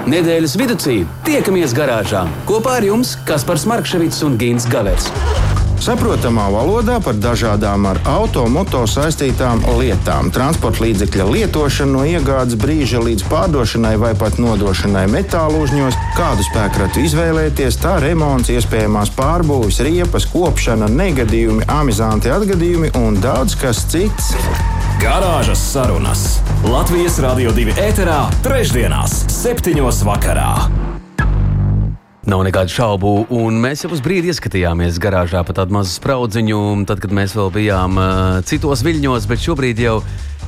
Nedēļas viducī tiekamies garāžā. Kopā ar jums Kaspars Markševits un Gints Gavers. Saprotamā valodā par dažādām ar auto saistītām lietām. Transporta līdzekļa lietošanu no iegādes brīža līdz pārdošanai vai pat nodošanai metālu uzņos, kādu spēkratu izvēlēties, tā remonts, iespējamās pārbūves, riepas, kopšana, negadījumi, amizanti atgadījumi un daudz kas cits. Garāžas sarunas Latvijas Radio 2 ēterā trešdienās 7:00 vakarā. Nav nekādu šaubu, un mēs jau uz brīdi ieskatījāmies garāžā pa tādu mazu spraudziņu, tad, kad mēs vēl bijām citos viļņos, bet šobrīd jau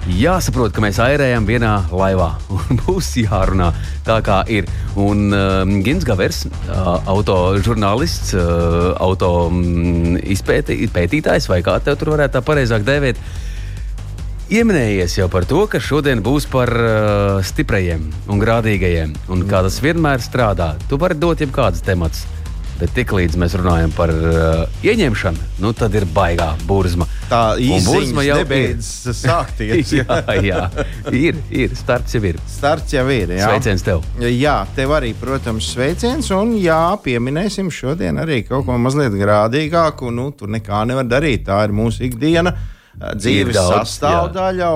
jāsaprot, ka mēs airējam vienā laivā, un būs jārunā tā, kā ir. Un Gints Gavers, autožurnālists, pētītājs, vai kā tev tur varētu tā pareizāk dēvēt, ieminējies jau par to, ka šodien būs par stiprajiem un grādīgajiem, un kā tas vienmēr strādā. Tu vari dot jebkādas temats, bet tiklīdz mēs runājam par ieņemšanu, nu tad ir baigā burzma. Tā īziņas nebeidzas sākties. jā, ir, starts jau ir. Starts jau ir, jā. Sveiciens tev. Jā, tev arī, protams, sveiciens, un jā, pieminēsim šodien arī kaut ko mazliet grādīgāku, nu, tur nekā nevar darīt, tā ir mūsu ikdiena. Dzīves sastāvdaļa.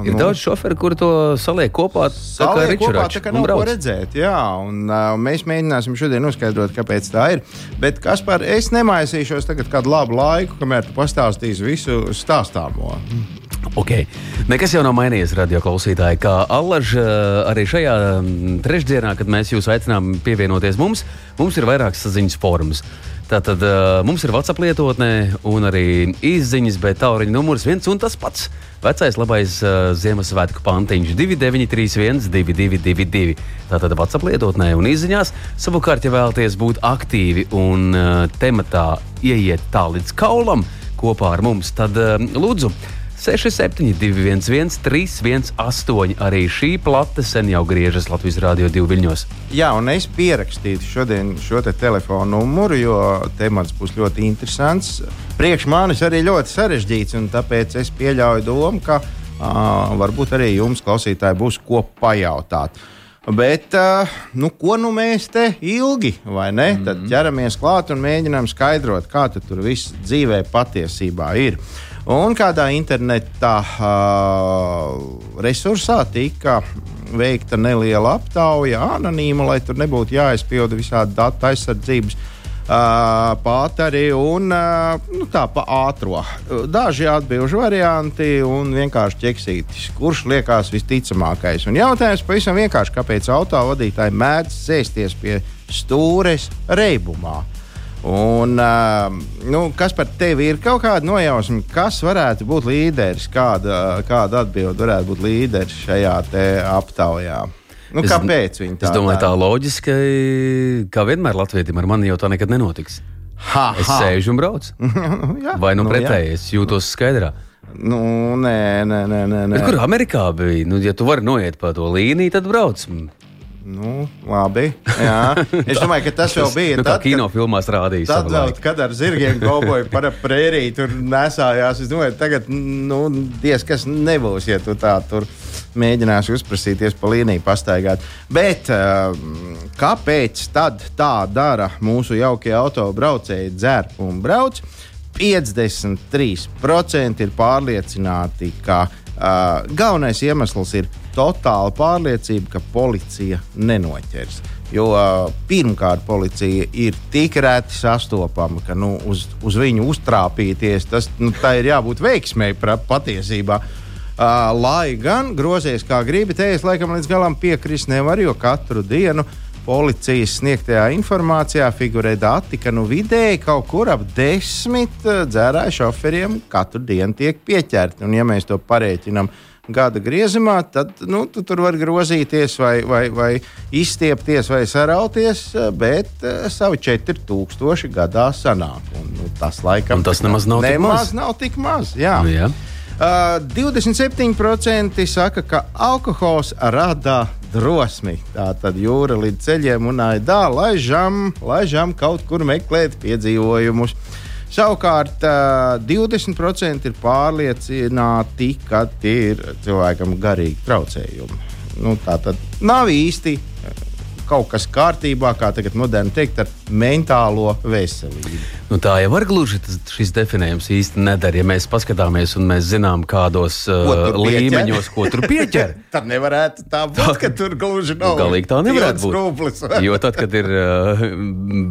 Ir daudz šoferi, kuri to saliek kopā, tā kā ričuračs. Tā kā nav ko redzēt, jā. Un mēs mēģināsim šodien noskaidrot, kāpēc tā ir. Bet, Kaspar, es nemaisīšos tagad kādu labu laiku, kamēr tu pastāstīsi visu stāstāmo. Ok, nekas jau nav mainījies, radio klausītāji, kā allaž arī šajā trešdienā, kad mēs jūs aicinām pievienoties mums ir vairākas saziņas formas. Tātad mums ir WhatsApp lietotnē un arī izziņas, bet tālruņa numurs viens un tas pats. Vecais labais Ziemassvētku pantiņš 2931 2222. Tātad WhatsApp lietotnē un izziņās. Savukārt, ja vēlaties būt aktīvi un tematā ieiet tā līdz kaulam kopā ar mums, tad lūdzu 6721 318. Arī šī plate sen jau griežas Latvijas Radio 2 viļņos. Jā, un es pierakstītu šodien šo te telefonu numuru, jo temats būs ļoti interesants. Priekš manis arī ļoti sarežģīts, un tāpēc es pieļauju domu, ka varbūt arī jums, klausītāji, būs ko pajautāt. Bet, ko mēs te ilgi, vai ne? Tad ķeramies klāt un mēģinām skaidrot, kā tur viss dzīvē patiesībā ir. Un kādā internetā resursā tika veikta neliela aptauja, anonīma, lai tur nebūtu jāizpilda visādi datu aizsardzības pāteri un tā pa ātro. Daži atbilžu varianti un vienkārši ķeksītis, kurš liekas visticamākais. Un jautājums pavisam vienkārši, kāpēc autovadītāji mēdz sēsties pie stūres reibumā. Un, kas par tevi ir kaut kāda nojausma, kas varētu būt līderis, kāda atbilde varētu būt līderis šajā te aptaujā? Kāpēc viņi tā? Es domāju, tā loģiski, kā vienmēr latvietim ar mani jau tā nekad nenotiks. Es sēžu un braucu. Vai pretēji, es jūtos skaidrā. Nē. Bet kur Amerikā bija? Ja tu vari noiet pa to līniju, tad brauc. Labi. Jā. Es domāju, ka tas jau bija. Kā kinofilmās rādījis. Tad vēl, kad ar zirgiem kauboju par prēriju tur nesājās. Es domāju, tagad, diez kas nebūs, ja tu tā tur mēģināsi uzprasīties pa līniju pastaigāt. Bet kāpēc tad tā dara mūsu jaukie autobraucēji, dzer un brauc? 53% ir pārliecināti, ka galvenais iemesls ir totāla pārliecība, ka policija nenoķers. Jo pirmkārt policija ir tik reti sastopama, ka uz viņu uztrāpīties, tā ir jābūt veiksmei patiesībā. Lai gan grozies kā gribi, te es laikam līdz galam piekrist nevar, jo katru dienu policijas sniegtajā informācijā figurē dati, ka vidēji kaut kur ap 10 dzērāju šoferiem katru dienu tiek pieķerti. Un ja mēs to parēķinām gada griezumā, tad tu tur var grozīties vai izstiepties vai sarauties, bet savi 4000 gadā sanāk. Un tas laikam tas nemaz nav tik maz. Jā. 27% saka, ka alkohols rada drosmi. Tā tad jūra līdz ceļiem un aidā, laižam kaut kur meklēt piedzīvojumus. Savukārt 20% ir pārliecināti, ka tie ir cilvēkam garīgi traucējumi. Tā tad nav īsti kaut kas kārtībā, kā tagad moderni teikt, ar mentālo veselību. Nu, tā jau var gluži šis definējums īsti nedara. Ja mēs paskatāmies un mēs zinām, kādos līmeņos, ko tur pieķer. Tad nevarētu tā būt, ka tur gluži nav. Galīgi tā nevarētu būt. Rūplis. Jo tad, kad ir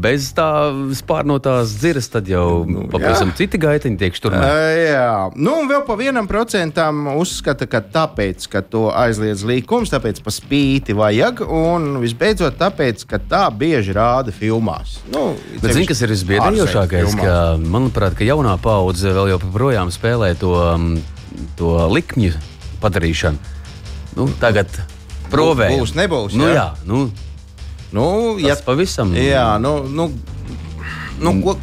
bez tā spārnotās dziras, tad jau pavisam citi gaitiņi tiek šturmēti. Jā. Nu, un vēl pa 1% uzskata, ka tāpēc, ka to aizliedz līkums, tāpēc pa spīti vajag, un visbeidzot tāpēc, ka tā bieži rāda filmās. Nu, bet zini, kas ir visbiedējošākais, ka, manuprāt, ka jaunā paudze vēl joprojām spēlē to likmju padarīšanu. Nu, tagad provējam. Būs, nebūs, nu, jā. Tas pavisam. Jā,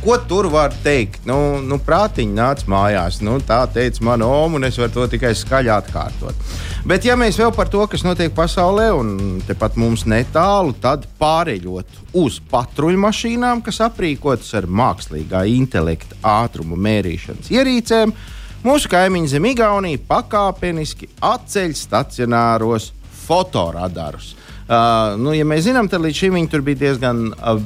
ko tur var teikt? Prātiņi nāc mājās. Tā teica mana oma, un es varu to tikai skaļi atkārtot. Bet ja mēs vēl par to, kas notiek pasaulē, un tepat mums netālu, tad pāreļot uz patruļmašīnām, kas aprīkotas ar mākslīgā intelekta ātrumu mērīšanas ierīcēm, mūsu kaimiņi zem Igaunija pakāpeniski atceļ stacionāros fotoradarus. Ja mēs zinām, tad līdz šim viņi tur bija diezgan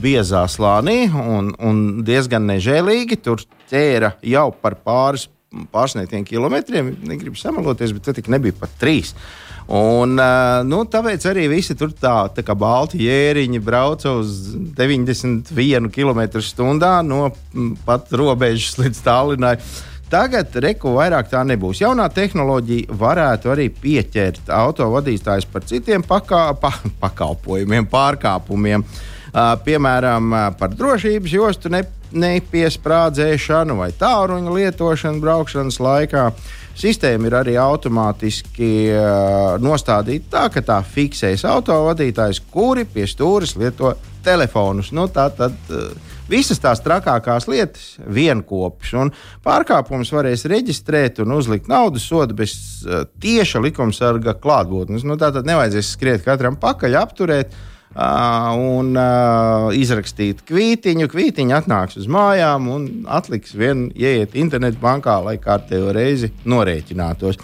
biezā slānī un diezgan nežēlīgi. Tur ķēra jau par pārsniegtiem kilometriem. Negribu samaloties, bet tad nebija pat 3. Un, tāpēc arī visi tur tā kā balti jēriņi brauca uz 91 km/h no pat robežas līdz Tallinai. Tagad vairāk tā nebūs. Jaunā tehnoloģija varētu arī pieķert autovadītājus par citiem pakalpojumiem, pārkāpumiem. Piemēram, par drošības jostu nepiesprādzēšanu vai tālruņa lietošanu braukšanas laikā. Sistēma ir arī automātiski nostādīta tā, ka tā fiksēs autovadītājus, kuri pie stūres lieto telefonus. Visas tās trakākās lietas vienkopš, un pārkāpumus varēs reģistrēt un uzlikt naudas sodu bez tieša likumsarga klātbūtnes. Tātad nevajadzēs skriet katram pakaļ, apturēt un izrakstīt kvītiņu. Kvītiņa atnāks uz mājām un atliks vien ieiet internetbankā, lai kārtējo reizi norēķinātos.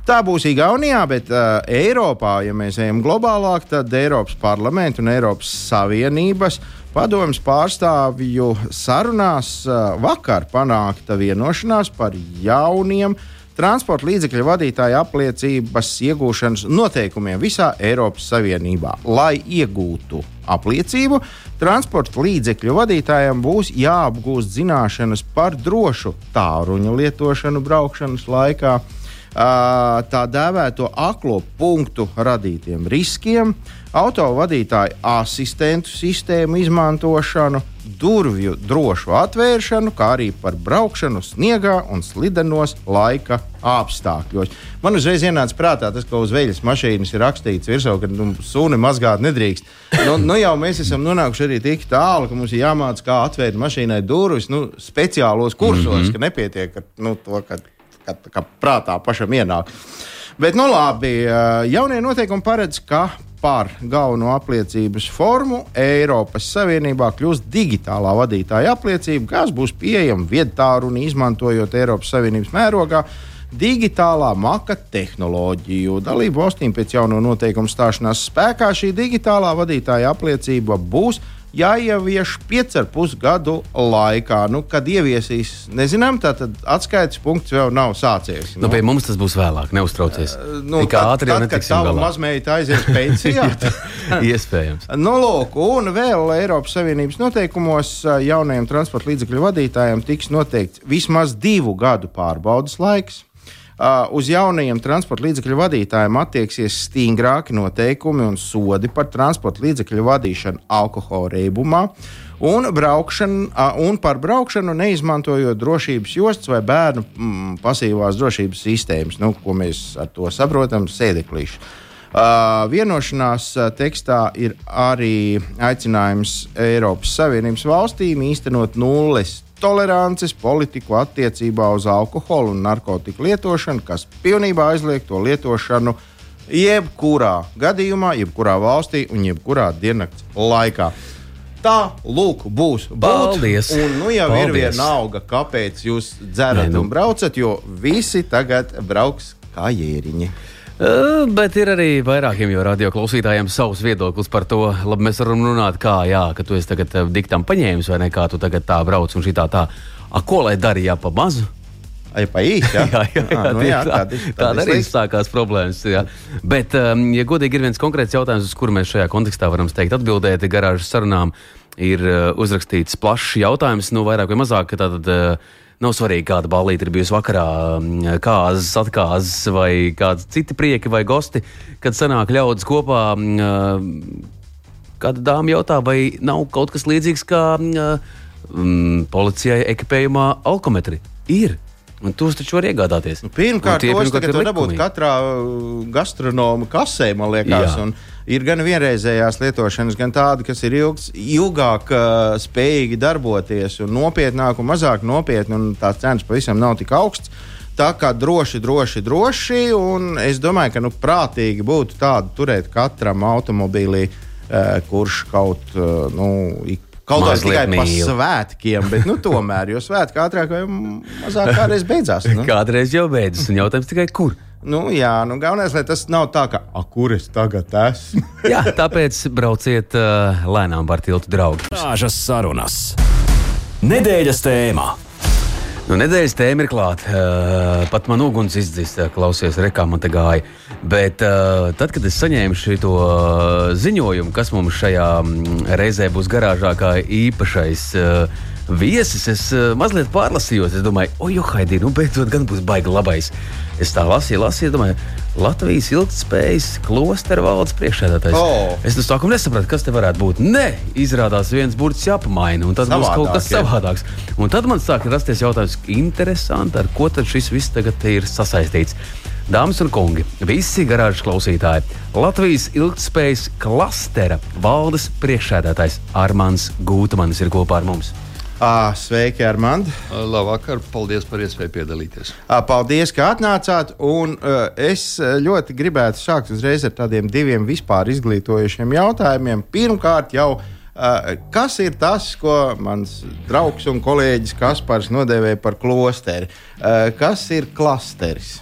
Tā būs Igaunijā, bet Eiropā, ja mēs ejam globālāk, tad Eiropas parlamenta un Eiropas Savienības padomjas pārstāvju sarunās vakar panākta vienošanās par jauniem transporta līdzekļu vadītāju apliecības iegūšanas noteikumiem visā Eiropas Savienībā. Lai iegūtu apliecību, transporta līdzekļu vadītājiem būs jāapgūst zināšanas par drošu tālruņa lietošanu braukšanas laikā, tā dēvēto aklo punktu radītiem riskiem, autovadītāju asistentu sistēmu izmantošanu, durvju drošu atvēršanu, kā arī par braukšanu sniegā un slidenos laika apstākļos. Man uzreiz ienāca prātā tas, ka uz veļas mašīnas ir rakstīts virsū, ka suni mazgāt nedrīkst. Jau mēs esam nonākuši arī tik tālu, ka mums ir jāmāc, kā atvērt mašīnai durvis speciālos kursos, ka nepietiek ar to, ka prātā pašam ienāk. Bet, labi, jaunie noteikumi paredz, ka par galveno apliecības formu Eiropas Savienībā kļūst digitālā vadītāja apliecība, kas būs pieejama viedtālruni, izmantojot Eiropas Savienības mērogā digitālā maka tehnoloģiju. Dalību valstīm pēc jauno noteikumu stāšanās spēkā šī digitālā vadītāja apliecība būs jāievieš 5,5 gadu laikā. Kad ieviesīs, nezinām, tātad atskaites punkts vēl nav sācies. Pie mums tas būs vēlāk, neuztraucies. Tad, kad tava mazmeita aizies pensijā. Iespējams. Un vēl Eiropas Savienības noteikumos jaunajiem transporta līdzekļu vadītājiem tiks noteikts vismaz 2 gadu pārbaudas laiks. Uz jaunajiem transporta līdzekļu vadītājiem attieksies stingrāki noteikumi un sodi par transporta līdzekļu vadīšanu alkohola reibumā un par braukšanu neizmantojot drošības jostas vai bērnu pasīvās drošības sistēmas, ko mēs ar to saprotam, sēdeklīšu. Vienošanās tekstā ir arī aicinājums Eiropas Savienības valstīm īstenot nulles tolerances politiku attiecībā uz alkoholu un narkotiku lietošanu, kas pilnībā aizliek to lietošanu jebkurā gadījumā, jebkurā valstī un jebkurā diennakts laikā. Tā, lūk, būs. Paldies! Un jau ir vienalga, kāpēc jūs dzerat un braucat, jo visi tagad brauks kā jēriņi. Bet ir arī vairākiem jau radio klausītājiem savs viedoklis par to. Labi, mēs varam runāt, ka tu esi tagad diktam paņēmis, vai ne, kā tu tagad tā brauc un šitā tā. Ko lai darīja pa mazu? Ai, pa īsti, jā. Tāda arī sākās problēmas. Jā. Bet, ja godīgi ir viens konkrēts jautājums, uz kuru mēs šajā kontekstā varam teikt atbildēt, garāžas sarunām ir uzrakstīts plašs jautājums, vairāk vai mazāk, ka tātad nav svarīgi, kāda ballīte ir bijusi vakarā, kāzas, atkāzas vai kādi citi prieki vai gosti, kad sanāk ļaudis kopā. Kāda dāma jautā, vai nav kaut kas līdzīgs kā policijai ekipējumā alkometri? Ir. Un tos taču var iegādāties. Pirmkārt, tos tagad var dabūt katrā gastronoma kasē, man liekas. Un ir gan vienreizējās lietošanas, gan tādi, kas ir ilgāk spējīgi darboties un nopietnāk un mazāk nopietni, un tās cenas pavisam nav tik augsts. Tā kā droši, un es domāju, ka prātīgi būtu tādu turēt katram automobīlī, kurš kaut kā tikai pa svētkiem, bet tomēr, jo svētki ātrāk vai mazāk kādreiz beidzās. Kādreiz jau beidzas, un jautājums tikai kur? Galvenais, lai tas nav tā, ka kur es tagad esmu. Jā, tāpēc brauciet lēnām par tiltu, draugi. Garāžas sarunas. Nedēļas tēmā. Nedēļas tēma ir klāta. Pat man uguns izdzis, klausies, rekā man te gāja. Bet tad, kad es saņēmu šito ziņojumu, kas mums šajā reizē būs garāžā kā īpašais viesis, es mazliet pārlasījos. Es domāju, Haidī, beidzot gan būs baigi labais. Es tā lasīju, domāju, Latvijas ilgtspējas klostera valdes priekšsēdētājs. Es no sākuma nesapratu, kas te varētu būt. Nē, izrādās viens burts jāpamaina, un tad būs kaut kas savādāks. Un tad man sāka rasties jautājums, interesanti, ar ko tad šis viss tagad ir sasaistīts. Dāmas un kungi, visi garāžas klausītāji, Latvijas ilgtspējas klastera valdes priekšsēdētājs Armands Gūtmanis ir kopā ar mums. Sveiki, Armand! Labvakar, paldies par iespēju piedalīties. Paldies, ka atnācāt, un es ļoti gribētu sākt uzreiz ar tādiem diviem vispār izglītojušiem jautājumiem. Pirmkārt jau, kas ir tas, ko mans draugs un kolēģis Kaspars nodēvēja par klosteri? Kas ir klasteris?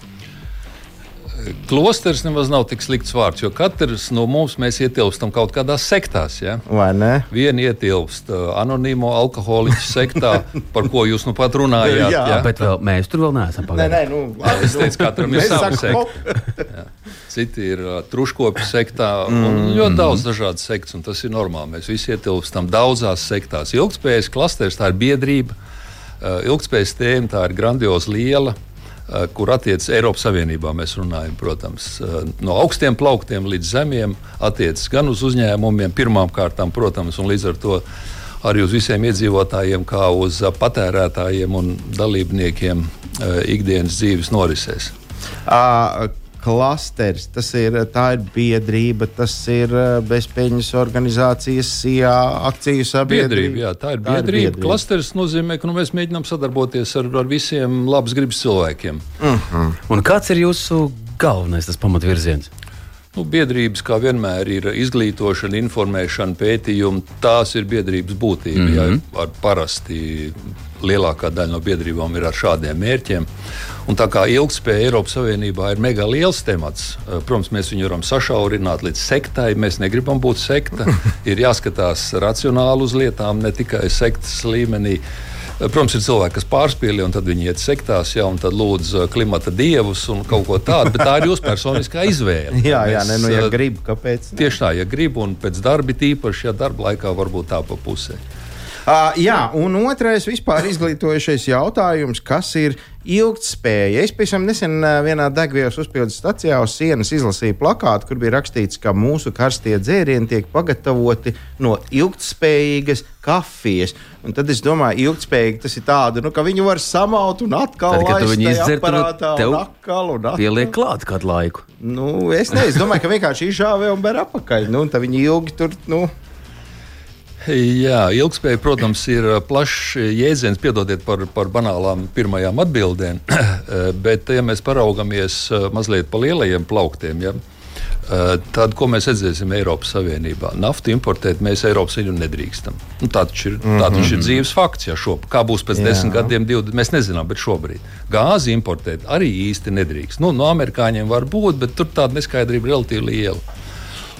Klosters nemaz nav tik slikts vārds, jo katrs no mums mēs ietilpstam kaut kādās sektās. Ja? Vai ne? Viena ietilpst anonīmo alkoholiķu sektā, par ko jūs pat runājāt. Jā, bet mēs tur vēl neesam pagājuši. Es teicu, katram ir sava sekta. Citi ir truškopi sektā un ļoti daudz dažādas sektas, un tas ir normāli. Mēs visi ietilpstam daudzās sektās. Ilgtspējas klasters, tā ir biedrība. Ilgtspējas tēma, tā ir grandiozi liela, kur attiecas Eiropas Savienībā. Mēs runājam, protams, no augstiem plauktiem līdz zemiem, attiecas gan uz uzņēmumiem, pirmām kārtām, protams, un līdz ar to arī uz visiem iedzīvotājiem, kā uz patērētājiem un dalībniekiem ikdienas dzīves norisēs. Klasteris, tā ir biedrība, tas ir bezpeļņas organizācijas, akciju sabiedrība. Jā, tā ir biedrība. Klasteris nozīmē, ka mēs mēģinām sadarboties ar visiem labas gribas cilvēkiem. Un kāds ir jūsu galvenais pamatvirziens? Biedrības, kā vienmēr, ir izglītošana, informēšana, pētījumi. Tās ir biedrības būtība. Ja, parasti lielākā daļa no biedrībām ir ar šādiem mērķiem. Un tā kā ilgtspēja Eiropas Savienībā ir mega liels temats, protams, mēs viņu varam sašaurināt līdz sektai. Mēs negribam būt sekta. Ir jāskatās racionāli uz lietām, ne tikai sektas līmenī. Protams, ir cilvēki, kas pārspīlē, un tad viņi iet sektās, un tad lūdz klimata dievus un kaut ko tādu, bet tā ir jūsu personiskā izvēle. Ja grib, kāpēc? Tieši tā, ja grib, un pēc darba tīpaši, ja darba laikā varbūt tā pa pusē. Un otrais vispār izglītojušais jautājums, kas ir ilgtspēja. Es pavisam nesen vienā degvielas uzpildes stacijā uz sienas izlasīju plakātu, kur bija rakstīts, ka mūsu karstie dzērieni tiek pagatavoti no ilgtspējīgas kafijas. Un tad es domāju, ilgtspējīgi tas ir tāda, ka viņi var samaut un atkal laist tajā aparātā un atkal. Pieliek klāt kādu laiku. Es domāju, ka vienkārši izžāvē un ber apakaļ. Tad viņi ilgi tur, Jā, ilgtspēja, protams, ir plašs jēdziens, piedodiet par banālām pirmajām atbildēm, bet, ja mēs paraugamies mazliet pa lielajiem plauktiem, Tad, ko mēs redzēsim Eiropas Savienībā? Naftu importēt mēs Eiropas Savienībā nedrīkstam. Tā taču ir dzīves fakts. Kā būs pēc 10 gadiem, 20, mēs nezinām, bet šobrīd. Gāzi importēt arī īsti nedrīkst. No amerikāņiem var būt, bet tur tāda neskaidrība relatīvi liela.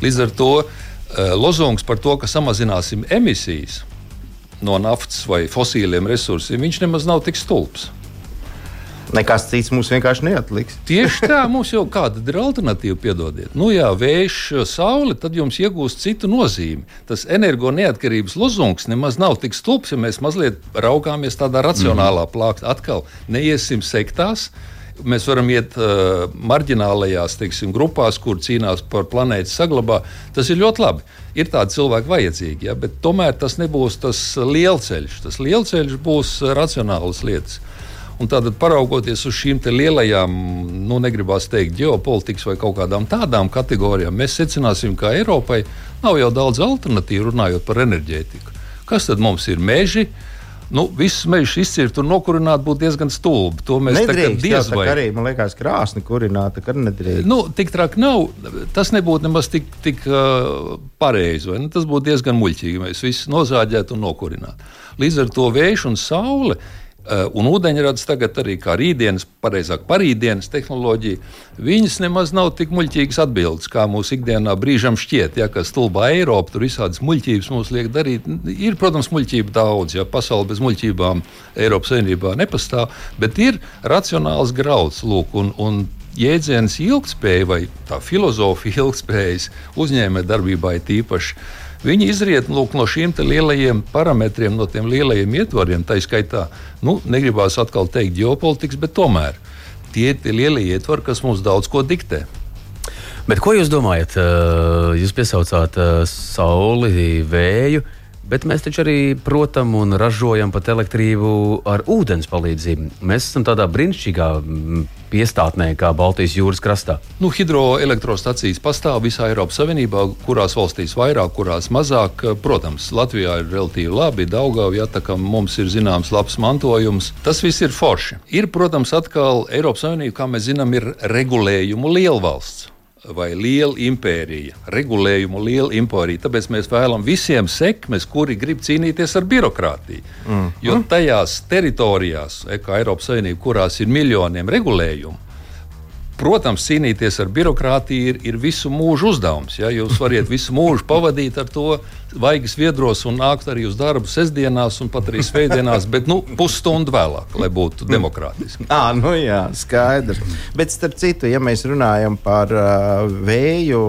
Līdz ar to lozungs par to, ka samazināsim emisijas no naftas vai fosīliem resursiem, viņš nemaz nav tik stulbs. Nekas cits mums vienkārši neatliks. Tieši tā, mums jau kāda ir alternatīva, piedodiet. Vējš, saule, tad jums iegūst citu nozīmi. Tas energo neatkarības lozungs nemaz nav tik stulbs, ja mēs mazliet raugāmies tādā racionālā plāksnē. Atkal neiesim sektās. Mēs varam iet marģinālajās, grupās, kur cīnās par planētas saglabā. Tas ir ļoti labi. Ir tādi cilvēki vajadzīgi, bet tomēr tas nebūs tas lielceļš. Tas lielceļš būs racionālas lietas. Un tātad, paraugoties uz šīm lielajām, negribās teikt, ģeopolitikas vai kaut kādām tādām kategorijām, mēs secināsim, ka Eiropai nav jau daudz alternatīvu runājot par enerģētiku. Kas tad mums ir meži? Visus mežus izcirkt un nokurināt būtu diezgan stulbi. To mēs nedrīkst, diez vai. Arī, man liekas, krāsni kurināt, ka nedrīkst. Tik traki nav. Tas nebūtu nemaz tik pareizi. Tas būtu diezgan muļķīgi. Mēs visus nozāģētu un nokurinātu. Līdz ar to vējš un saule un ūdeņrads tagad arī kā rītdienas, pareizāk parītdienas tehnoloģija, viņas nemaz nav tik muļķīgas atbildes, kā mūsu ikdienā brīžam šķiet, ka stulbā Eiropa, tur visādas muļķības mums liek darīt. Ir, protams, muļķība daudz, pasaule bez muļķībām Eiropas Savienībā nepastāv, bet ir racionāls grauds, un jēdziens ilgtspēja vai tā filozofija ilgtspējas uzņēmē darbībā ir tīpaši. Viņi izriet no šiem lielajiem parametriem, no tiem lielajiem ietvariem. Tā skaitā, negribās atkal teikt ģeopolitikas, bet tomēr tie lielie ietvari, kas mums daudz ko diktē. Bet ko jūs domājat? Jūs piesaucāt sauli, vēju, bet mēs taču arī, protam, un ražojam pat elektrību ar ūdens palīdzību. Mēs esam tādā brīnišķīgā piestātnē, kā Baltijas jūras krastā. Hidroelektrostacijas pastāv visā Eiropas Savienībā, kurās valstīs vairāk, kurās mazāk. Protams, Latvijā ir relatīvi labi, Daugava, tā kā mums ir zināms labs mantojums. Tas viss ir forši. Ir, protams, atkal Eiropas Savienība, kā mēs zinām, ir regulējumu lielvalsts vai liela impērija. Regulējumu liela impērija. Tāpēc mēs vēlam visiem sekmes, kuri grib cīnīties ar birokrātiju. Jo tajās teritorijās, kā Eiropas Savienība, kurās ir miljoniem regulējumu, protams, cīnīties ar birokrātiju ir visu mūžu uzdevums. Jūs varat visu mūžu pavadīt ar to vaigas viedros un nākt arī uz darbu sestdienās un pat arī svētdienās, bet pusstundu vēlāk, lai būtu demokrātiski. Jā, skaidrs. Bet starp citu, ja mēs runājam par vēju,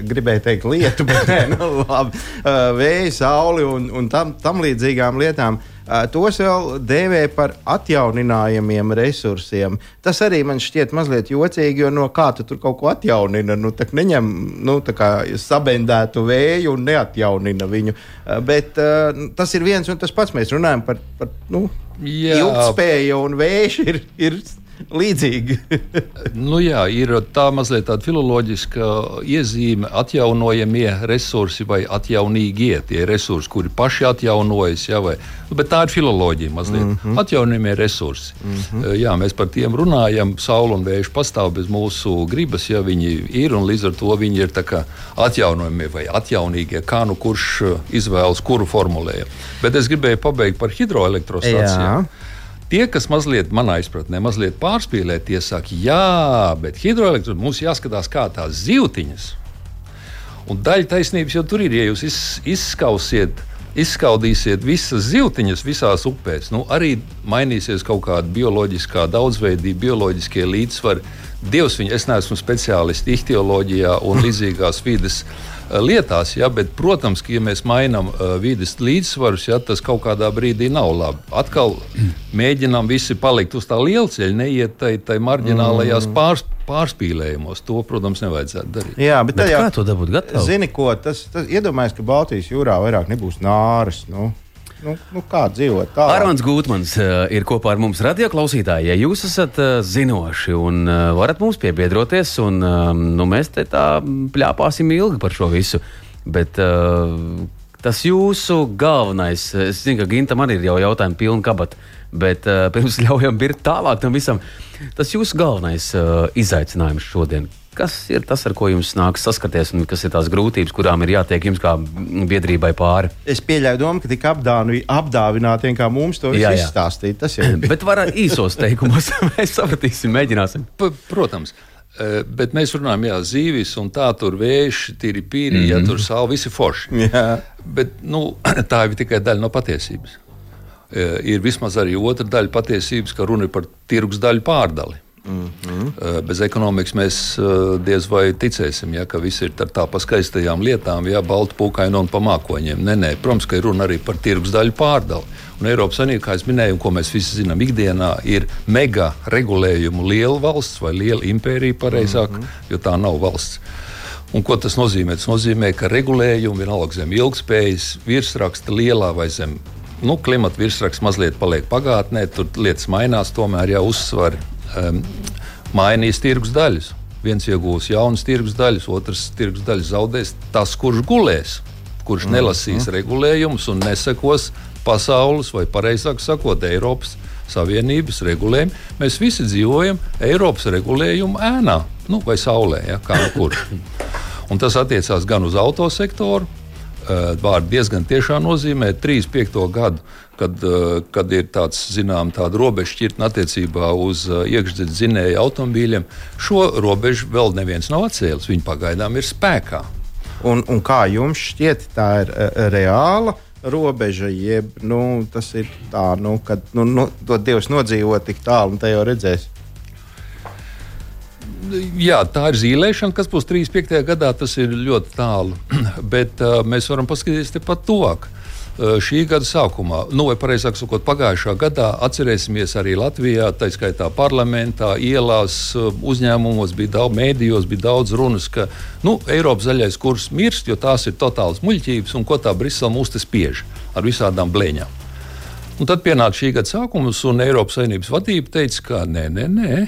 gribēju teikt lietu, bet labi, vēju, sauli un tam līdzīgām lietām, tos vēl dēvē par atjauninājumiem resursiem. Tas arī man šķiet mazliet jocīgi, jo no kā tu tur kaut ko atjaunina? Tak neņem tā kā sabendētu vēju un neatjaunina viņu. Bet tas ir viens un tas pats. Mēs runājam par ilgtspēju, un vējš ir līdzīgi. Ir tā mazliet tāda filoloģiska iezīme, atjaunojamie resursi vai atjaunīgie tie resursi, kuri paši atjaunojas, bet tā ir filoloģija mazliet. Atjaunojamie resursi. Mēs par tiem runājam, saule un vējš pastāv bez mūsu gribas, viņi ir, un līdz ar to viņi ir tā kā atjaunojamie vai atjaunīgie, kā kurš izvēlas kuru formulējumu. Bet es gribēju pabeigt par hidroelektrostacijām. Tie, kas manā izpratnē mazliet pārspīlē, tie saka, bet hidroelektrostacija mums jāskatās kā tās zivtiņas. Un daļa taisnības jau tur ir, ja jūs izskaudīsiet visas zivtiņas visās upēs, arī mainīsies kaut kāda bioloģiskā daudzveidība, bioloģiskie līdzsvari. Dievs viņu, es neesmu speciālists ihtioloģijā un līdzīgās vides lietās, bet, protams, ka, ja mēs mainām vides līdzsvarus, tas kaut kādā brīdī nav labi. Atkal mēģinām visi palikt uz tā lielceļa, neiet tai marģinālajās pārspīlējumos. To, protams, nevajadzētu darīt. Jā, bet kā to dabūt gatavu? Zini ko, tas iedomājas, ka Baltijas jūrā vairāk nebūs nāras, kā dzīvot tā? Arons Gūtmans ir kopā ar mums, radioklausītāji. Ja jūs esat zinoši un varat mums piebiedroties, un mēs te tā pļāpāsim ilgi par šo visu, bet tas jūsu galvenais, es zinu, ka Gintam arī ir jau jautājumi pilni kabata, bet pirms ļaujam birkt tālāk tam visam, tas jūsu galvenais izaicinājums šodien. kas ir tas, ar ko jums nāks saskarties, un kas ir tās grūtības, kurām ir jātiek jums kā biedrībai pāri? Es pieļauju domu, ka tik apdāvināti, kā mums to visu izstāstīt. Tas jau ir. Bet var īsos teikumos, mēs sapratīsim, mēģināsim. Protams. Bet mēs runājam, zīvis un tā tur vēši, tīri pīri, tur saule, visi forši. Bet tā ir tikai daļa no patiesības. Ir vismaz arī otra daļa patiesības, ka runa ir par tirgus daļu pārdali. Bez ekonomikas mēs diez vai ticēsim, ka viss ir tā pa skaistajām lietām, baltu pūkainu un pa mākoņiem. Nē, protams, ka ir runa arī par tirgus daļu pārdali. Un Eiropas Savienība, kā es minēju, un ko mēs visi zinām ikdienā, ir mega regulējumu liela valsts vai liela impērija pareizāk, jo tā nav valsts. Un ko tas nozīmē? Tas nozīmē, ka regulējumi vienalga zem ilgspējas virsraksta lielā vai zem klimata virsraksta mazliet paliek pagātnē, tur lietas mainās, tomēr uzsvari mainīs tirgus daļas. Viens iegūs jaunas tirgus daļas, otrs tirgus daļas zaudēs tas, kurš gulēs, kurš nelasīs regulējumus un nesekos pasaules, vai pareizāk sakot, Eiropas Savienības regulējumu. Mēs visi dzīvojam Eiropas regulējumu ēnā, vai saulē, kā kur. Un tas attiecās gan uz autosektoru, vārdi diezgan tiešā nozīmē 35. gadu, kad ir tāda robeža šķirtne attiecībā uz iekšzemes dzinēju automobīļiem. Šo robežu vēl neviens nav atcēlis, viņi pagaidām ir spēkā. Un kā jums šķiet, tā ir reāla robeža, jeb tas ir tā, kad to Dievs nodzīvo tik tālu, un te jau redzēs? Jā, tā ir zīlēšana, kas būs 35. gadā, tas ir ļoti tālu, bet mēs varam paskatīties tepat tuvāk. Šī gada sākumā, vai pareizāk sakot, pagājušā gadā atcerēsimies arī Latvijā, tā skaitā parlamentā, ielās, uzņēmumos bija daudz, mēdījos bija daudz runas, ka Eiropas zaļais kurs mirst, jo tās ir totāls muļķības, un ko tā Brisele mūs te spiež ar visādām blēņām. Un tad pienāk šī gada sākums, un Eiropas Savienības vadība teica, ka nē,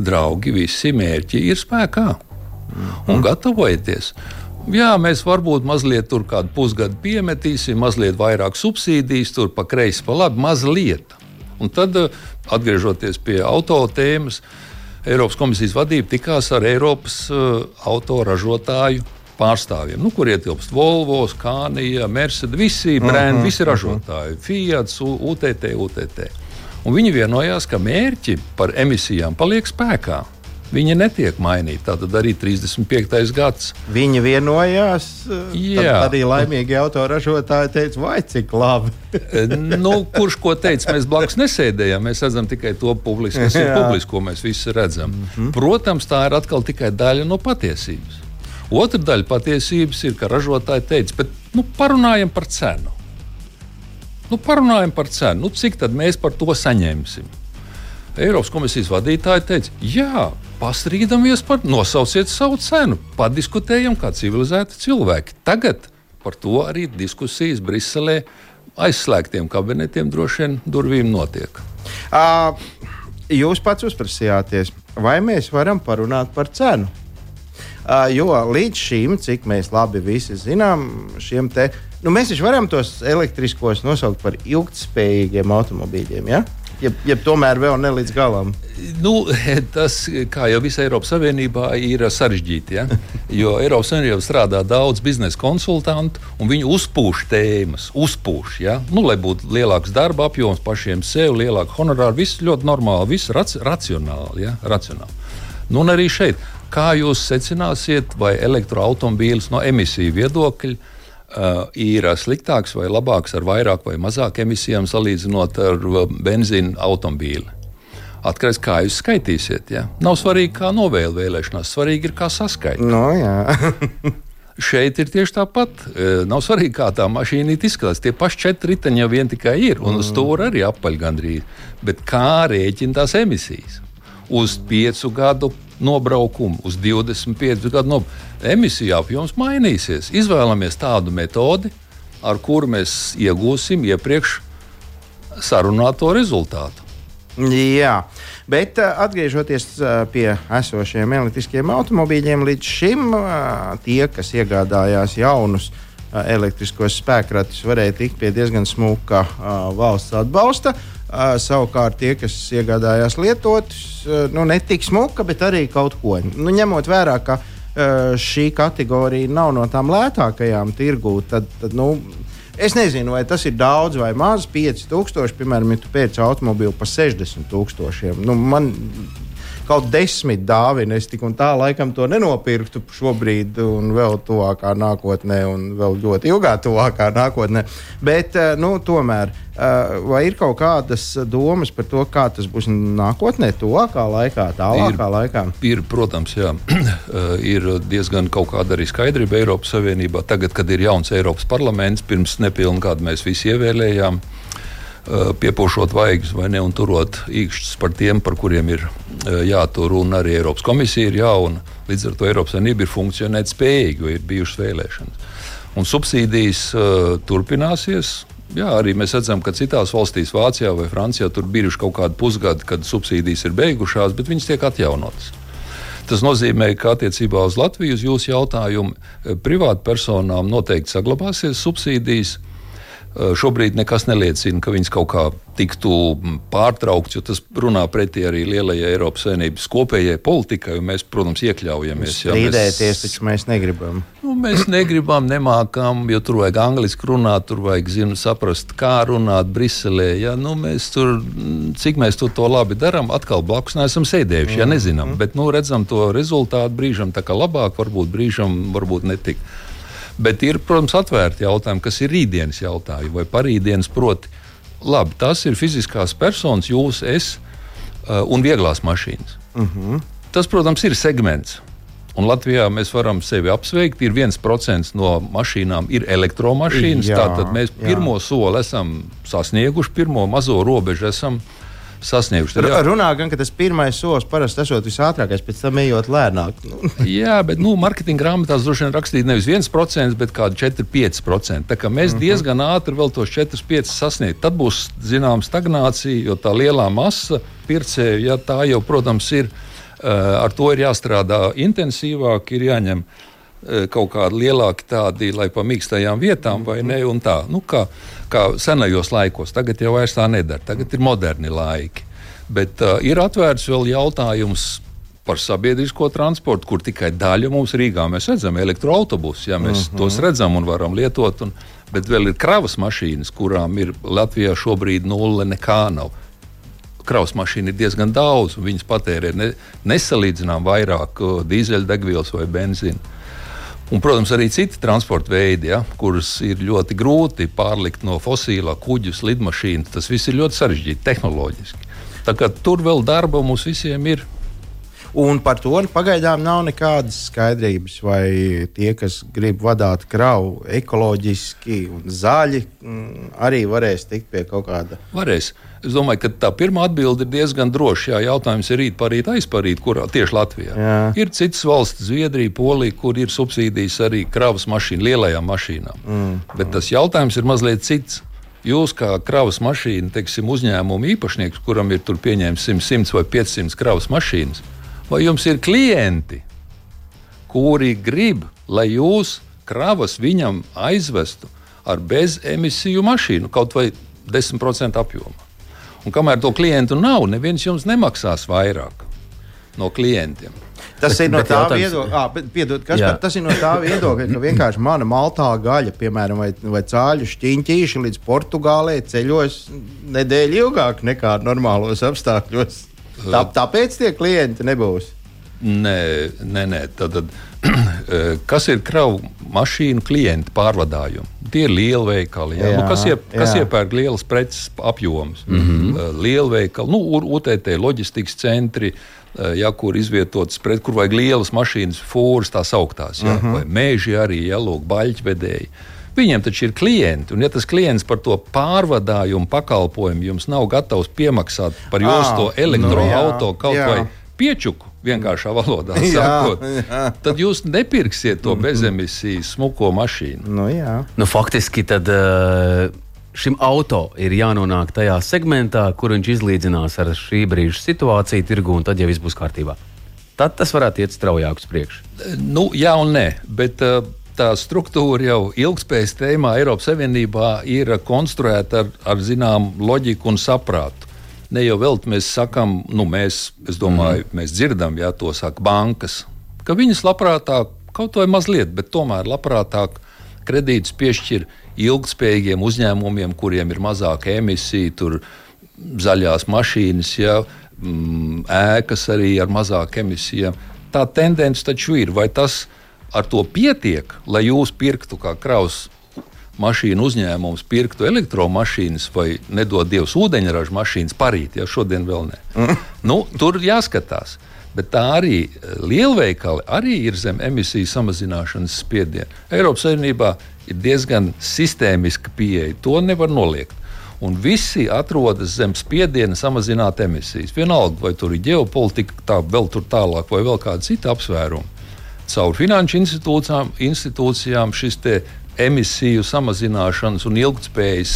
draugi, visi mērķi ir spēkā un gatavojieties. Jā, mēs varbūt mazliet tur kādu pusgadu piemetīsim, mazliet vairāk subsīdijas, tur pa kreisi, pa labi, mazliet. Un tad, atgriežoties pie auto tēmas, Eiropas komisijas vadība tikās ar Eiropas autoražotāju pārstāvjiem, kur ietilpst Volvo, Scania, Mercedes, visi brendi, visi ražotāji, Fiat, UTT. Un viņi vienojās, ka mērķi par emisijām paliek spēkā. Viņi netiek mainīti. Tātad arī 35. gads. Viņi vienojās, tad arī laimīgi autoražotāji teica, vai cik labi. Kurš ko teica, mēs blakus nesēdējām. Mēs redzam tikai to publiski, kas ir publiski, ko mēs visi redzam. Protams, tā ir atkal tikai daļa no patiesības. Otra daļa patiesības ir, ka ražotāji teica, bet parunājam par cenu. Cik tad mēs par to saņemsim? Eiropas komisijas vadītāji teica, jā, pastrīdamies nosauciet savu cenu, padiskutējam kā civilizēti cilvēki. Tagad par to arī diskusijas Briselē aizslēgtiem kabinetiem droši vien durvīm notiek. Jūs pats uzprasījāties, vai mēs varam parunāt par cenu? Jo līdz šim, cik mēs labi visi zinām, šiem te, mēs taču varam tos elektriskos nosaukt par ilgtspējīgiem automobīļiem, ja? Ja tomēr vēl ne līdz galam. Tas, kā jau visā Eiropas Savienībā, ir sarežģīti. Ja? Jo Eiropas Savienībā strādā daudz biznesa konsultantu, un viņi uzpūš tēmas. Ja? Lai būtu lielāks darba apjoms pašiem sev, lielāka honorāra, viss ļoti normāli, viss racionāli. Ja? Un arī šeit, kā jūs secināsiet, vai elektroautomobīls no emisiju viedokļa ir sliktāks vai labāks ar vairāk vai mazāk emisijām salīdzinot ar benzīnu automobīli. Atkarīgs, kā jūs skaitīsiet. Ja? Nav svarīgi, kā novēle vēlēšanās, svarīgi ir, kā saskaitīt. Šeit ir tieši tāpat. Nav svarīgi, kā tā mašīna izskatās. Tie paši 4 riteņi jau vien tikai ir, un uz stūra arī apaļ gandrīz. Bet kā rēķina tās emisijas? Uz 5 gadu nobraukumu, uz 25 gadu nobraukumu. Emisiju apjoms mainīsies. Izvēlamies tādu metodi, ar kuru mēs iegūsim iepriekš sarunāto rezultātu. Jā, bet atgriežoties pie esošiem elektriskiem automobīļiem, līdz šim tie, kas iegādājās jaunus elektriskos spēkratus, varēja tikt pie diezgan smuka valsts atbalsta. Savukārt tie, kas iegādājās lietotus, ne tik smuka, bet arī kaut ko. Ņemot vērā, ka šī kategorija nav no tām lētākajām tirgū, tad es nezinu, vai tas ir daudz vai maz, 5,000, piemēram, ja tu pērci automobīlu par 60,000. Man kaut 10 dāvina, es tik un tā laikam to nenopirktu šobrīd un vēl tuvākā nākotnē un vēl ļoti ilgā tuvākā nākotnē. Bet, tomēr, vai ir kaut kādas domas par to, kā tas būs nākotnē, tuvākā laikā, tālākā laikā? Ir, protams, jā. Ir diezgan kaut kāda arī skaidrība Eiropas Savienībā. Tagad, kad ir jauns Eiropas parlaments, pirms nepilnu gadu mēs visi ievēlējām, piepūšot vaigas vai ne un turot īkšķus par tiem, par kuriem ir jātur, un arī Eiropas komisija ir jauna. Līdz ar to Eiropas Savienība ir funkcionēt spējīgi, jo ir bijušas vēlēšanas. Un subsīdijas turpināsies. Jā, arī mēs redzam, ka citās valstīs, Vācijā vai Francijā, tur bijuši kaut kādi pusgadi, kad subsīdijas ir beigušās, bet viņas tiek atjaunotas. Tas nozīmē, ka attiecībā uz Latviju, uz jūsu jautājumu, privātpersonām noteikti saglabāsies subsīdijas. Šobrīd nekas neliecina, ka viņas kaut kā tiktu pārtraukts, jo tas runā pretī arī lielajai Eiropas Savienības kopējai politikai, un mēs, protams, iekļaujamies. Strīdēties, taču mēs negribam. Mēs negribam, nemākam, jo tur vajag angliski runāt, tur vajag saprast, kā runāt Briselē. Ja? Mēs tur, cik mēs to labi darām, atkal blakus neesam sēdējuši, ja nezinām. Bet redzam to rezultātu brīžam tā kā labāk, varbūt brīžam, varbūt netik. Bet ir, protams, atvērti jautājumi, kas ir rītdienas jautājumi vai parītdienas, proti. Labi, tas ir fiziskās personas, jūs, es un vieglās mašīnas. Tas, protams, ir segments. Un Latvijā mēs varam sevi apsveikt. Ir 1% no mašīnām ir elektromašīnas. Tātad mēs pirmo soli esam sasnieguši, pirmo mazo robežu esam sasnieguši. Runā gan, ka tas pirmais solis parasti esot visātrākais, pēc tam ejot lēnāk. Jā, bet marketinga grāmatās droši vien rakstīt nevis 1%, bet kādu 4-5%. Tā kā mēs diezgan ātri vēl tos 4-5% sasniegt. Tad būs, zinām, stagnācija, jo tā lielā masa pircēju, ja tā jau, protams, ir, ar to ir jāstrādā intensīvāk, ir jāņem kaut kādi lielāki tādi, lai pa mīkstajām vietām vai ne, un tā. Kā senajos laikos. Tagad jau vairs tā nedara. Tagad ir moderni laiki. Bet ir atvērts vēl jautājums par sabiedrisko transportu, kur tikai daļa mums Rīgā. Mēs redzam elektroautobusus, ja mēs tos redzam un varam lietot, bet vēl ir kravas mašīnas, kurām ir Latvijā šobrīd nulle, nekā nav. Kravas mašīna ir diezgan daudz, un viņas patērē nesalīdzinām vairāk dīzeļdegvielas vai benzīnu. Un, protams, arī citi transporta veidi, kurus ir ļoti grūti pārlikt no fosilā, kuģus, lidmašīnu. Tas viss ir ļoti sarežģīti tehnoloģiski. Tā kā tur vēl darba mums visiem ir. Un par to pagaidām nav nekādas skaidrības, vai tie, kas grib vadīt kravu ekoloģiski un zaļi, arī varēs tikt pie kaut kāda. Varēs. Es domāju, ka tā pirmā atbilde ir diezgan droša. Jā, jautājums ir rīt, parīt, aizparīt, kurā tieši Latvijā. Jā. Ir citas valsts, Zviedrija, Polija, kur ir subsīdijas arī kravas mašīnu, lielajām mašīnām. Bet tas jautājums ir mazliet cits. Jūs kā kravas mašīna, teiksim, uzņēmuma īpašnieks, kuram ir tur pieņēmis 100 vai 500 kravas mašīnas, vai jums ir klienti, kuri grib, lai jūs kravas viņam aizvestu ar bezemisiju mašīnu, kaut vai 10% apjomā. Un kamēr to klientu nav, neviens jums nemaksās vairāk no klientiem. Tas ir no tā viedokļa, tas ir no tā viedokļa, ka vienkārši mana maltā gaļa, piemēram, vai cāļu šķiņķīši līdz Portugālei ceļos nedēļu ilgāk nekā normālos apstākļos. Tāpēc tie klienti nebūs. Nē. Tad, kas ir kravu mašīnu klienti pārvadājumi? Tie ir lielveikali. Kas iepērk lielas preces apjomus? Lielveikali, UTT loģistikas centri, kur izvietotas pret, kur vajag lielas mašīnas, fūras tās augtās, vai meži arī, lūk, baļķvedēji. Viņiem taču ir klienti, un ja tas klients par to pārvadājumu pakalpojumu jums nav gatavs piemaksāt par jūsu to elektroauto kaut vai piečuku, vienkāršā valodā sakot, tad jūs nepirksiet to bezemisijas smuko mašīnu. Faktiski tad šim auto ir jānonāk tajā segmentā, kur viņš izlīdzinās ar šī brīža situāciju tirgu, un tad jau viss būs kārtībā. Tad tas varētu iet straujāk uz priekšu. Jā un nē, bet tā struktūra jau ilgspējas tēmā Eiropas Savienībā ir konstruēta ar zināmu loģiku un saprātu. Ne jau vēl mēs sakām, mēs dzirdam, ja to saka bankas, ka viņas labprātāk, kaut vai mazliet, bet tomēr labprātāk kredītus piešķir ilgspējīgiem uzņēmumiem, kuriem ir mazāka emisija, tur zaļās mašīnas, ēkas arī ar mazāku emisijām. Tā tendence taču ir. Vai tas ar to pietiek, lai jūs pirktu kā kravas mašīnu uzņēmums, pirktu elektromašīnas vai nedod Dievs ūdeņraža mašīnas parīt, šodien vēl ne. Tur jāskatās. Bet tā arī lielveikali arī ir zem emisiju samazināšanas spiediena. Eiropas Savienībā ir diezgan sistēmiska pieeja. To nevar noliegt. Un visi atrodas zem spiediena samazināt emisijas. Vienalga, vai tur ir ģeopolitika, vēl tur tālāk, vai vēl kāda cita apsvēruma. Caur finanšu institūcijām šis te emisiju samazināšanas un ilgtspējas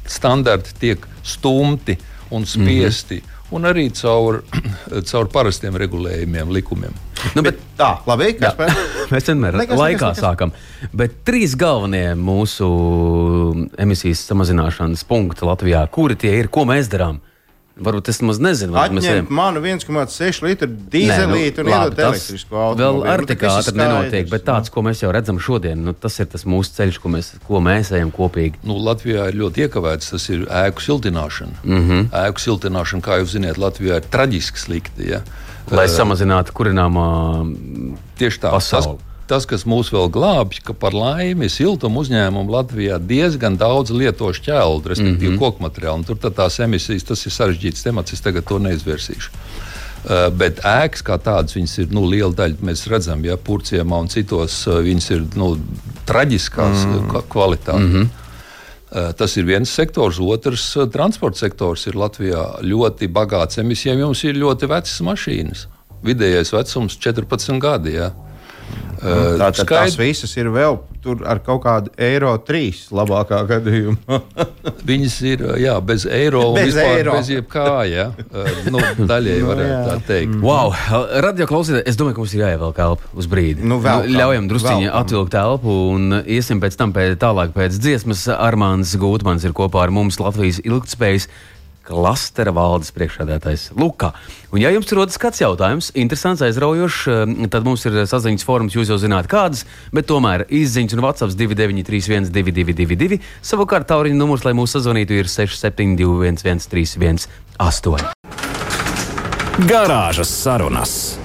standarti tiek stumti un spiesti. Un arī caur parastiem regulējumiem, likumiem. Bet tā, labi, mēs vienmēr laikā sākam. Bet 3 galvenie mūsu emisijas samazināšanas punkti Latvijā, kuri tie ir, ko mēs darām? Varbūt es maz nezinu. Atņemt manu 1,6 litru dīzelīti un iedot elektrisku automobili. Vēl ar tik ātri nenotiek, bet tāds, ko mēs jau redzam šodien, tas ir tas mūsu ceļš, ko mēs ejam kopīgi. Latvijā ir ļoti iekavēts, tas ir ēku siltināšana. Ēku siltināšana, kā jūs zināt, Latvijā ir traģiski slikti. Ja? Lai samazinātu kurināmā tieši tā, pasauli. Tas, kas mūs vēl glābj, ka par laimi siltuma uzņēmumu Latvijā diezgan daudz lieto šķeldu, respektīvi koku materiālu. Tur tās emisijas, tas ir sarežģīts temats, es tagad to neizvērsīšu. Bet ēkas kā tādas, viņas ir liela daļa, mēs redzam, Purciemā un citos, viņas ir traģiskās kvalitātes. Tas ir viens sektors, otrs transporta sektors ir Latvijā ļoti bagāts emisijām, jums ir ļoti vecas mašīnas. Vidējais vecums 14 gadi, Tātad tās visas ir vēl ar kaut kādu eiro 3 labākā gadījumā. Viņas ir bez eiro un vispār bez jebkā. Daļai varētu tā teikt. Wow, radio klausītāji, es domāju, ka mums ir jāievelk elpa uz brīdi. Ļaujam drusciņi atvilkt elpu un iesim pēc tam tālāk pēc dziesmas. Armāns Gūtmans ir kopā ar mums, Latvijas ilgtspējas klastera valdes priekšsēdētājs Lukā. Un ja jums rodas kāds jautājums, interesants, aizraujošs, tad mums ir saziņas fórums, jūs jau zināt kādas, bet tomēr izziņas un WhatsApp 29312222. Savukārt tauriņa numurs, lai mūs sazvanītu, ir 67211318. Garāžas sarunas.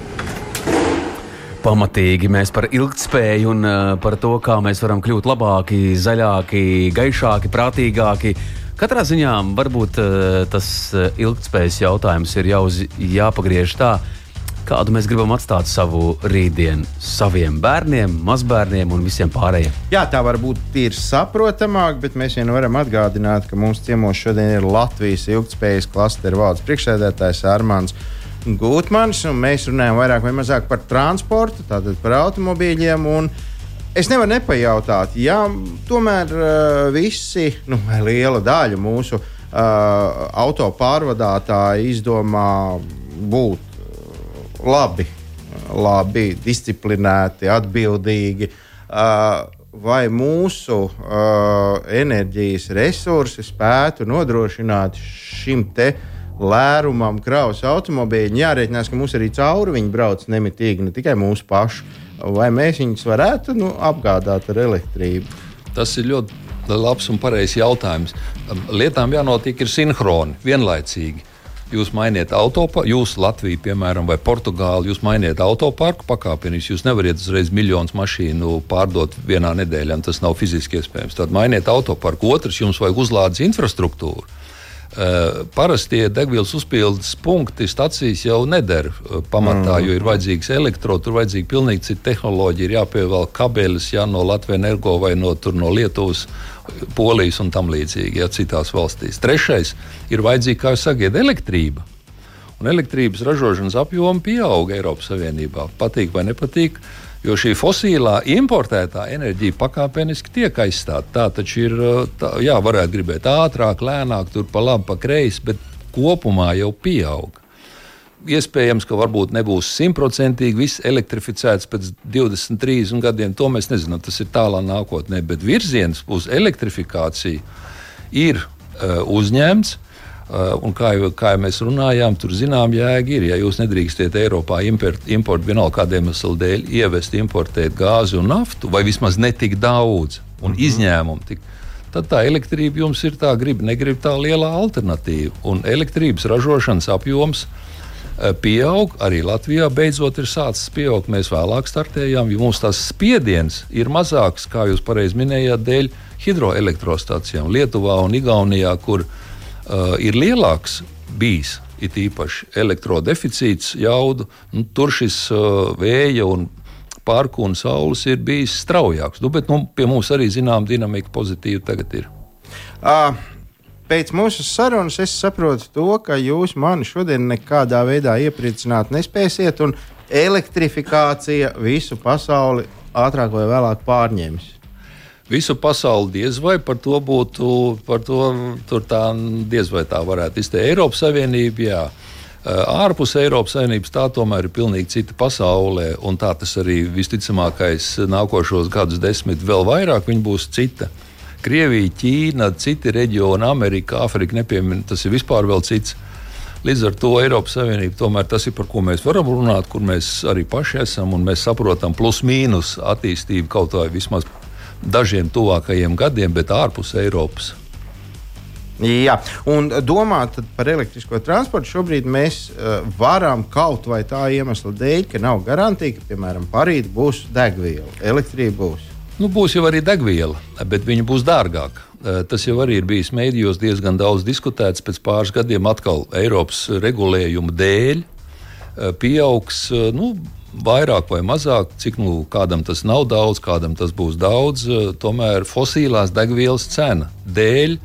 Pamatīgi mēs par ilgtspēju un par to, kā mēs varam kļūt labāki, zaļāki, gaišāki, prātīgāki. Katrā ziņā varbūt tas ilgtspējas jautājums ir jāpagriež tā, kādu mēs gribam atstāt savu rītdienu saviem bērniem, mazbērniem un visiem pārējiem. Jā, tā varbūt ir saprotamāk, bet mēs vien varam atgādināt, ka mums ciemos šodien ir Latvijas ilgtspējas klastera valdes priekšsēdētājs Armāns Gūtmans, un mēs runājam vairāk vai mazāk par transportu, tātad par automobīļiem. Es nevaru nepajautāt, tomēr visi, vai liela daļa mūsu auto pārvadātāji izdomā būt labi, disciplinēti, atbildīgi, vai mūsu enerģijas resursi spētu nodrošināt šim te lērumam kravas automobīļi. Jārēķinās, ka mums arī cauri viņi brauc nemitīgi, ne tikai mūsu pašu. Vai mēs viņus varētu apgādāt ar elektrību? Tas ir ļoti labs un pareizs jautājums. Lietām jānotiek ir sinhroni, vienlaicīgi. Jūs mainiet autoparku, jūs Latviju, piemēram, vai Portugāli, jūs mainiet autoparku pakāpeniski. Jūs nevariet uzreiz miljonus mašīnu pārdot vienā nedēļā, tas nav fiziski iespējams. Tad mainiet autoparku. Otrs, jums vajag uzlādes infrastruktūru. Parastie degvielas uzpildes punkti, stacijas jau neder pamatā, jo ir vajadzīgs tur vajadzīga pilnīgi cita tehnoloģija, ir jāpievelk kabeļus, no Latvijas Energo vai no Lietuvas, Polijas un tam līdzīgi, citās valstīs. Trešais ir vajadzīga, kā jūs sakiet, elektrība. Un elektrības ražošanas apjoma pieauga Eiropas Savienībā. Patīk vai nepatīk? Jo šī fosilā importētā enerģija pakāpeniski tiek aizstāta. Tā taču ir, varētu gribēt ātrāk, lēnāk, tur pa labi, pa kreisi, bet kopumā jau pieaug. iespējams, ka varbūt nebūs 100% viss elektrificēts pēc 20, 30 gadiem. To mēs nezinām, tas ir tālā nākotnē. Bet virziens uz elektrifikāciju ir uzņemts. Un kā jau mēs runājām, tur zinām jēga ir. Ja jūs nedrīkstiet Eiropā importēt vienalga kādiem iemeslu dēļ, ievest, importēt gāzi un naftu, vai vismaz netik daudz un izņēmumu, tad tā elektrība jums ir tā negrib tā lielā alternatīva. Un elektrības ražošanas apjoms pieaug, arī Latvijā beidzot ir sācis pieaugt. Mēs vēlāk startējām, jo mums tās spiediens ir mazāks, kā jūs pareizi minējāt, dēļ hidroelektrostācijām Lietuvā un Igaunijā, kur ir lielāks bijis, it īpaši elektrodeficīts jaudu. Tur šis vēja un parku un saules ir bijis straujāks. Bet pie mums arī zinām dinamika pozitīva tagad ir. Pēc mūsu sarunas es saprotu to, ka jūs mani šodien nekādā veidā iepriecināt nespēsiet, un elektrifikācija visu pasauli ātrāk vai vēlāk pārņems. Visu pasauli diez vai par to tur tā diez vai tā varētu izteikt. Eiropas Savienība, jā. Ārpus Eiropas Savienības tā tomēr ir pilnīgi cita pasaulē, un tā tas arī visticamākais nākošos gadus 10 vēl vairāk viņa būs cita. Krievija, Ķīna, citi reģioni, Amerika, Āfrika nepiemin, tas ir vispār vēl cits. Līdz ar to Eiropas Savienība tomēr tas ir, par ko mēs varam runāt, kur mēs arī paši esam, un mēs saprotam plus mīnus attīstību kaut vai vismaz dažiem tuvākajiem gadiem, bet ārpus Eiropas. Jā, un domāt par elektrisko transportu šobrīd mēs varam kaut vai tā iemesla dēļ, ka nav garantija, ka, piemēram, parīt būs degviela, elektrība būs. Būs jau arī degviela, bet viņa būs dārgāka. Tas jau arī ir bijis mēdījos diezgan daudz diskutēts. Pēc pāris gadiem atkal Eiropas regulējuma dēļ pieaugs, vairāk vai mazāk, cik kādam tas nav daudz, kādam tas būs daudz, tomēr fosilās degvielas cena dēļ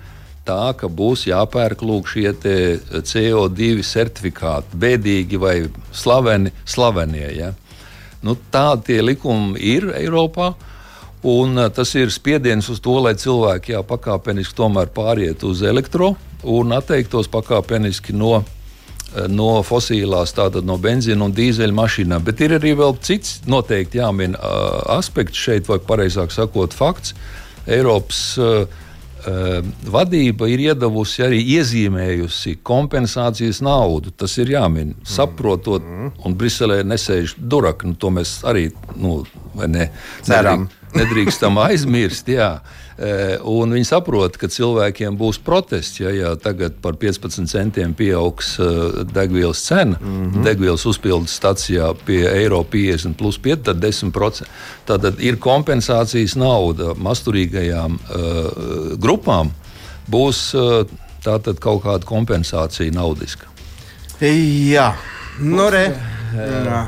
tā, ka būs jāpērk šie CO2 certifikāti, bēdīgi vai slavenie. Ja? Tādi tie likumi ir Eiropā, un tas ir spiediens uz to, lai cilvēki pakāpeniski tomēr pāriet uz elektro un atteiktos pakāpeniski no fosilās, tātad no benzīna un dīzeļa mašīnām. Bet ir arī vēl cits noteikti jāmin aspekts šeit, vai pareizāk sakot fakts. Eiropas vadība ir iedavusi arī iezīmējusi kompensācijas naudu. Tas ir jāmin, saprotot, un Briselē nesēž duraki. To mēs arī nedrīkstam aizmirst. Jā. Un viņi saprot, ka cilvēkiem būs protests, ja tagad par 15 centiem pieaugs degvielas cena, degvielas uzpildes stacijā pie eiro 50 plus 5, tad 10%. Tātad ir kompensācijas nauda masturīgajām grupām, būs tātad kaut kāda kompensācija naudiska. Jā,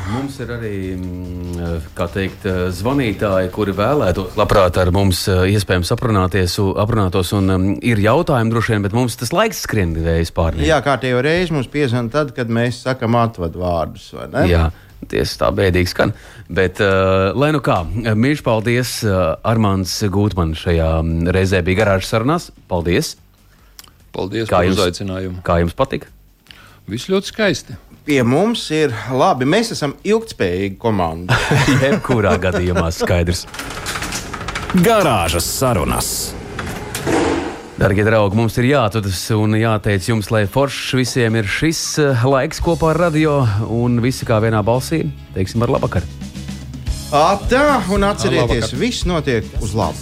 mums ir arī, zvanītāji, kuri vēlētos labprāt ar mums iespējams aprunātos, un ir jautājumi droši vien, bet mums tas laiks skrien vējas pārniem. Jā, kārtējo reizi mums piezvan tad, kad mēs sakam atvadu vārdus, vai ne? Jā, tieši tā bēdīgi skan. Bet, lai kā, mīļš paldies, Armands Gūtmanis šajā reizē bija garāžas sarunās. Paldies! Paldies par uzaicinājumu. Kā jums patika? Viss ļoti skaisti. Pie mums ir labi. Mēs esam ilgtspējīga komanda. Jebkurā gadījumā skaidrs. Garāžas sarunas. Darbie draugi, mums ir jātudas un jāteic jums, lai foršs visiem ir šis laiks kopā ar radio un visi kā vienā balsī. Teiksim ar labvakar. Tā, un atcerieties, viss notiek uz labu.